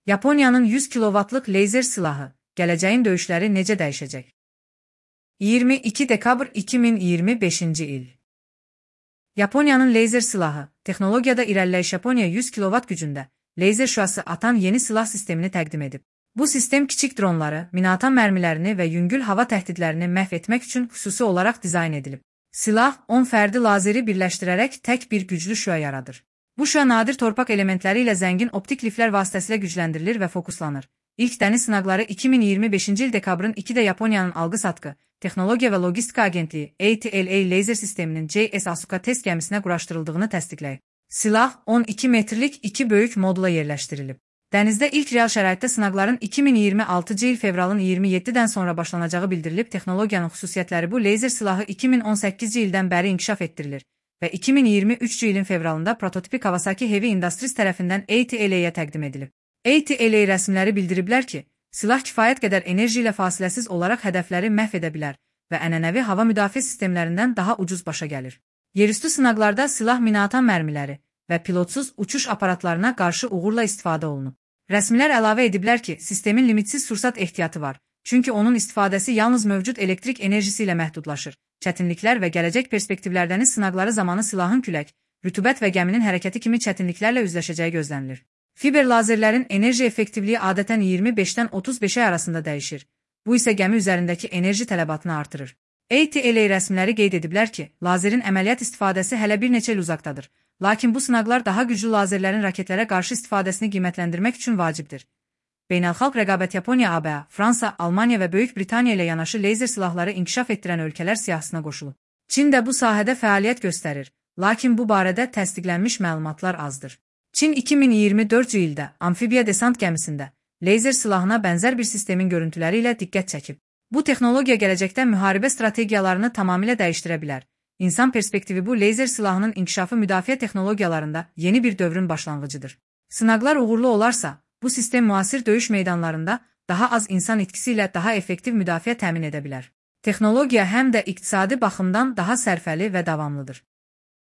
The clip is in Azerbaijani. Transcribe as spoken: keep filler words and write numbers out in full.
Yaponiyanın yüz kilovatlıq leyzer silahı, gələcəyin döyüşləri necə dəyişəcək? iyirmi iki dekabr iki min iyirmi beşinci il. Yaponiyanın leyzer silahı, texnologiyada irəliləyiş Yaponiya yüz kilovat gücündə, leyzer şüası atan yeni silah sistemini təqdim edib. Bu sistem kiçik dronları, minaatan mərmilərini və yüngül hava təhdidlərini məhv etmək üçün xüsusi olaraq dizayn edilib. Silah, on fərdi lazeri birləşdirərək tək bir güclü şüa yaradır. Bu şüa nadir torpaq elementləri ilə zəngin optik liflər vasitəsilə gücləndirilir və fokuslanır. İlk dəniz sınaqları iki min iyirmi beşinci il dekabrın ikidə Yaponiyanın Alqı-Satqı, Texnologiya və Logistika Agentliyi A T L A leyzer sisteminin J S Asuka test gəmisinə quraşdırıldığını təsdiqləyib. Silah on iki metrlik iki böyük modula yerləşdirilib. Dənizdə ilk real şəraitdə sınaqların iki min iyirmi altıncı il fevralın iyirmi yeddidən sonra başlanacağı bildirilib. Texnologiyanın xüsusiyyətləri bu leyzer silahı iki min on səkkizinci ildən bəri inkişaf etdirilir və iki min iyirmi üçüncü ilin fevralında prototipi Kawasaki Heavy Industries tərəfindən A T L A-yə təqdim edilib. A T L A rəsmiləri bildiriblər ki, silah kifayət qədər enerji ilə fasiləsiz olaraq hədəfləri məhv edə bilər və ənənəvi hava müdafiə sistemlərindən daha ucuz başa gəlir. Yerüstü sınaqlarda silah minaatan mərmiləri və pilotsuz uçuş aparatlarına qarşı uğurla istifadə olunub. Rəsmilər əlavə ediblər ki, sistemin limitsiz sursat ehtiyatı var, çünki onun istifadəsi yalnız mövcud elektrik enerjisi ilə məhdudlaşır. Çətinliklər və gələcək perspektivlərdənin sınaqları zamanı silahın külək, rütubət və gəminin hərəkəti kimi çətinliklərlə üzləşəcəyi gözlənilir. Fiber lazerlərin enerji effektivliyi adətən iyirmi beşdən otuz beşə arasında dəyişir. Bu isə gəmi üzərindəki enerji tələbatını artırır. A T L A rəsmiləri qeyd ediblər ki, lazerin əməliyyat istifadəsi hələ bir neçə il uzaqdadır. Lakin bu sınaqlar daha güclü lazerlərin raketlərə qarşı istifadəsini qiymətləndirmək üçün vacibdir. Beynəlxalq rəqabət Yaponiya, A B A, Fransa, Almaniya və Böyük Britaniya ilə yanaşı leyzer silahları inkişaf etdirən ölkələr siyahısına qoşulub. Çin də bu sahədə fəaliyyət göstərir, lakin bu barədə təsdiqlənmiş məlumatlar azdır. Çin iki min iyirmi dördüncü ildə amfibiya desant gəmisində leyzer silahına bənzər bir sistemin görüntüləri ilə diqqət çəkib. Bu texnologiya gələcəkdə müharibə strategiyalarını tamamilə dəyişdirə bilər. İnsan perspektivi bu leyzer silahının inkişafı müdafiə texnologiyalarında yeni bir dövrün başlanğıcıdır. Sınaqlar uğurlu olarsa, bu sistem müasir döyüş meydanlarında daha az insan itkisi ilə daha effektiv müdafiə təmin edə bilər. Texnologiya həm də iqtisadi baxımdan daha sərfəli və davamlıdır.